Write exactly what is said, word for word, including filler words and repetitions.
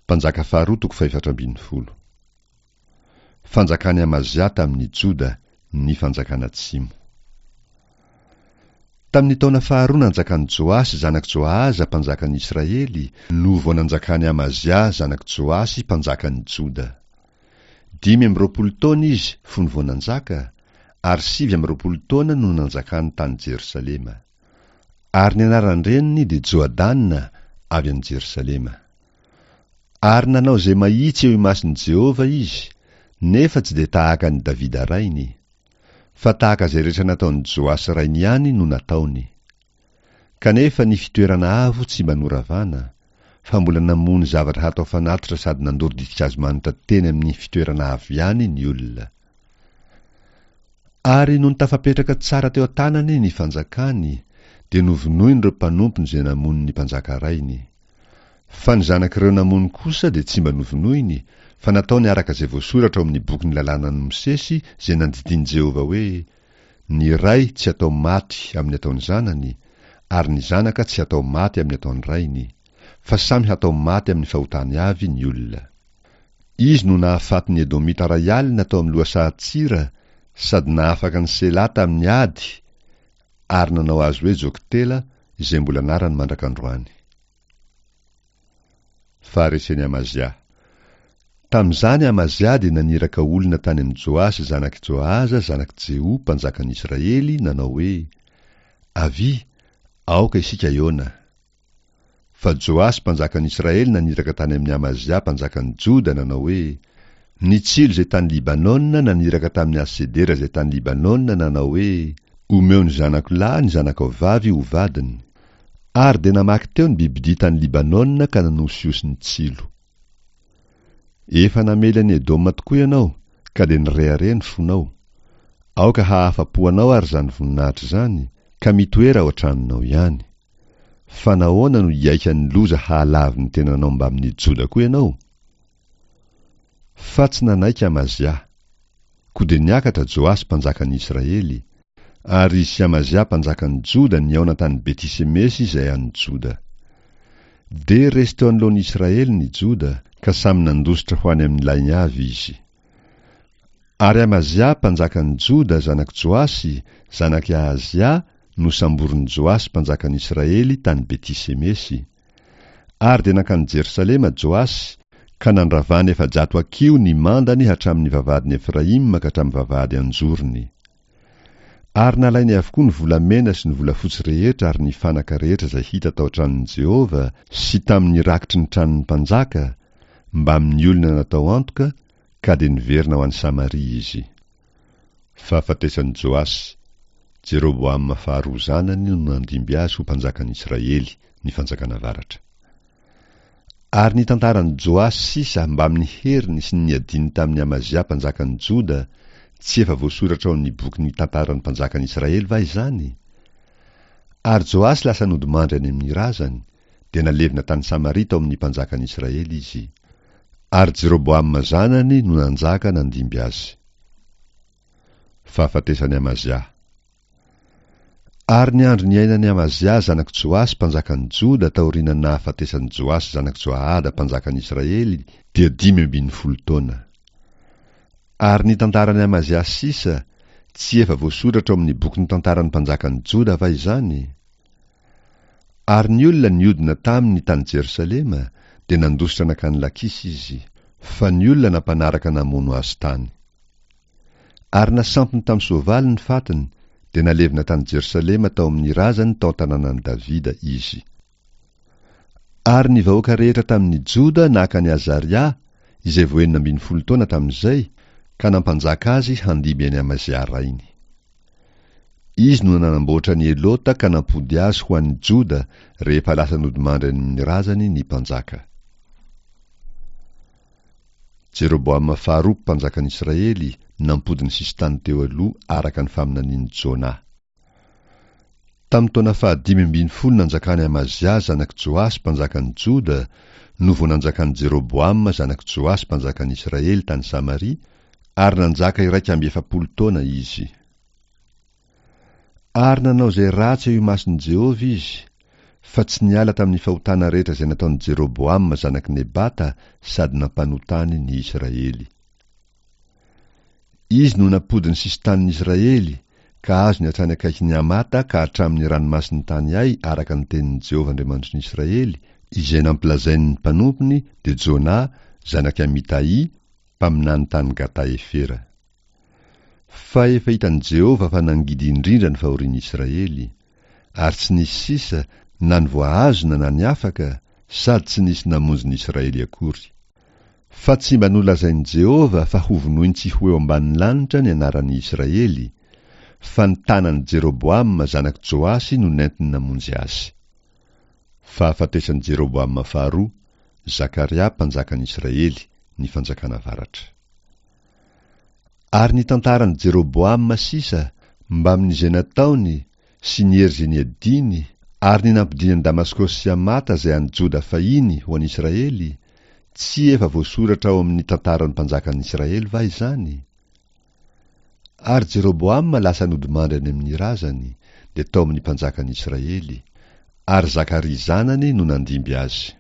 Mpanjaka faharoa toko fahefatra ambin'ny folo. Fanjakan'i Amazia tamin'ny Joda, ny fanjakana atsimo. Tamin'ny taona faharoa nanjakan'i Joasy zanak'i Joahaza mpanjakan'ny Israely no vao nanjakan'i Amazia zanak'i Joasy mpanjakan'ny Joda. Dimy amby roapolo taona izy fony vao nanjaka, ary sivy amby roapolo taona no nanjakany tany Jerosalema. Ary ny anaran-dreniny dia Joadana avy any Jerosalema. Ary nanao izay mahitsy eo imason'i Jehovah izy, nefa tsy dia tahaka an'i Davida rainy, fa tahaka izay rehetra nataon'i Joasy rainy ihany no nataony. Kanefa ny fitoerana avo tsy mba noravana, fa mbola namono zavatra hatao fanatitra sady nandoro ditin-kazo manitra teny amin'ny fitoerana avo ihany ny olona. Ary nony tafapetraka tsara teo an-tanany ny fanjakany, dia novonoiny ireo mpanompony izay namono ny mpanjaka rainy. Fa ny zanak'ireo namono kosa dia tsy mba novonoiny, fa nataony araka izay voasoratra ao amin'ny bokin'ny lalànan'i Mosesy izay nandidian'i Jehovah hoe, Ny ray tsy atao maty amin'ny ataon'ny zanany, ary ny zanaka tsy atao maty amin'ny ataon'ny rainy, fa samy hatao maty amin'ny fahotany avy ny olona. Izy no nahafaty ny Edomita iray alina tao amin'ny lohasahan-tsira sady nahafaka an'i Sela tamin'ny ady ary nanao azy hoe Joktela izay mbola anarany mandrak'androany. Faharesen'i Amazia. Tamin'izany Amazia dia naniraka olona tany amin'i Joasy zanak'i Joahaza zanak'i Jeho mpanjakan'i Israely nanao hoe, Avia, aoka isika hihaona. Fa Joasy mpanjakan'i Israely naniraka tany amin'i Amazia mpanjakan'i Joda nanao hoe, Ny tsilo izay tany Libanona naniraka tamin'ny hazo sedera izay tany Libanona nanao hoe, Omeo ny zanako lahy ny zanakao vavy ho vadiny. Ary dia namaky teo ny bibidia tany Libanona ka nanosihosy ny tsilo. Efa namely an'i Edoma tokoa ianao, ka dia nirehareha ny fonao. Aoka hahafa-po anao ary izany voninahitra izany, ka mitoera ao an-tranonao ihany. Fa nahoana no hiaika ny loza hahalavo ny tenanao mbamin'ny Joda koa ianao? Fa tsy nanaiky Amazia. Koa dia niakatra Joasy mpanjakan'ny Israely, ary izy sy Amazia mpanjakan'ny Joda nihaona tany Beti-semesy izay any Joda. Dia resy teo anoloan'ny Israely ny Joda, ka samy nandositra ho any amin'ny lainy avy izy. Ary Amazia mpanjakan'ny Joda zanak'i Joasy, zanak'i Ahazia, nosamborin'i Joasy mpanjakan'ny Israely tany Beti-semesy. Ary dia nankany Jerosalema Joasy, ka nandravany efajato hakiho ny mandany hatramin'ny vavahadin'i Efraima ka hatramin'ny vavahady an-jorony. Ary nalainy avokoa ny volamena sy ny volafotsy rehetra ary ny fanaka rehetra izay hita tao an-tranon'i Jehovah sy tamin'ny rakitry ny tranon'ny mpanjaka, mbamin'ny olona natao antoka, ka dia niverina ho any Samaria izy. Fahafatesan'i Joasy, Jeroboama faharoa zanany no nandimby azy ho mpanjakan'i Israely, ny fanjakana avaratra. Ary ny tantaran'i Joasy sisa mbamin'ny heriny sy ny niadiany tamin'i Amazia mpanjakan'i Joda, tsy efa voasoratra ao amin'ny bokin'ny tantaran'ny mpanjakan'i Israely va izany? Ary Joasy lasa nodimandry any amin'ny razany, dia nalevina tany Samaria tao amin'ny mpanjakan'i Israely izy. Ary Jeroboama zanany no nanjaka nandimby azy. Fahafatesan'i Amazia. Ary ny andro niainan'i Amazia zanak'i Joasy mpanjakan'i Joda taorian'ny nahafatesan'i Joasy zanak'i Joahada mpanjakan'i Israely dia dimy ambin'ny folo taona. Ary ny tantaran'i Amazia sisa, tsy efa voasoratra ao amin'ny bokin'ny tantaran'ny mpanjakan'i Joda va izany? Ary ny olona niodina taminy tany Jerosalema dia nandositra nankany Lakisy izy, fa ny olona nampanaraka namono azy tany. Ary nasampiny tamin'ny soavaly ny fatiny, dia nalevina tany Jerosalema tao amin'ny razany tao an-tanànan'i Davida izy. Ary ny vahoaka rehetra tamin'ny Joda naka an'i Azaria, izay vao enina ambin'ny folo taona tamin'izay, ka nampanjaka azy handimby an'i Amazia rainy. Izy no nanamboatra an'i Elota ka nampody azy ho an'ny Joda rehefa lasa nodimandry any amin'ny razany ny mpanjaka. Jeroboama faharoa mpanjakan'i Israely nampody ny sisintany teo aloha araka ny faminanian'i Jona. Tamin'ny taona fahadimy ambin'ny folo nanjakan'i Amazia zanak'i Joasy mpanjakan'i Joda no vao nanjakan'i Jeroboama zanak'i Joasy mpanjakan'i Israely tany Samaria, ary nanjaka iraika amby efapolo taona izy. Ary nanao izay ratsy eo imason'i Jehovah izy, Fa tsy niala tamin'ny fahotana rehetra izay nataon'i Jeroboama zanak'i Nebata sady nampanotany ny Israely. Izy no nampody ny sisin-tanin'ny Israely, ka azony hatrany akaikin'i Hamata ka hatramin'ny ranomasin'ny tany Ay araka ny tenin'i Jehovah Andriamanitry ny Israely, izay nampilazainy ny mpanompony, dia Jona, zanak'i Amitahy, mpaminany tany Gata-Hefera. Fa efa hitan'i Jehovah fa nangidy indrindra ny fahorian'ny Israely, ary tsy nisy sisa na ny voahazona na ny afaka, sady tsy nisy namonjy ny Israely akory. Fa tsy mba nolazain'i Jehovah fa hovonoiny tsy ho eo ambanin'ny lanitra ny anaran'ny Israely, fa ny tanan'i Jeroboama zanak'i Joasy no nentiny namonjy azy. Fahafatesan'i Jeroboama faharoa, Zakaria mpanjakan'ny Israely, ny fanjakana avaratra. Ary ny tantaran'i Jeroboama sisa, mbamin'izay nataony sy ny hery izay niadiany, ary ny nampodiany an'i Damaskosy sy Hamata izay an'i Joda fahiny ho an'i Israely, tsy efa voasoratra ao amin'ny tantaran'ny mpanjakan'ny Israely va izany? Ary Jeroboama lasa nodimandry any amin'ny razany, dia tao amin'ny mpanjakan'ny Israely, ary Zakaria zanany no nandimby azy.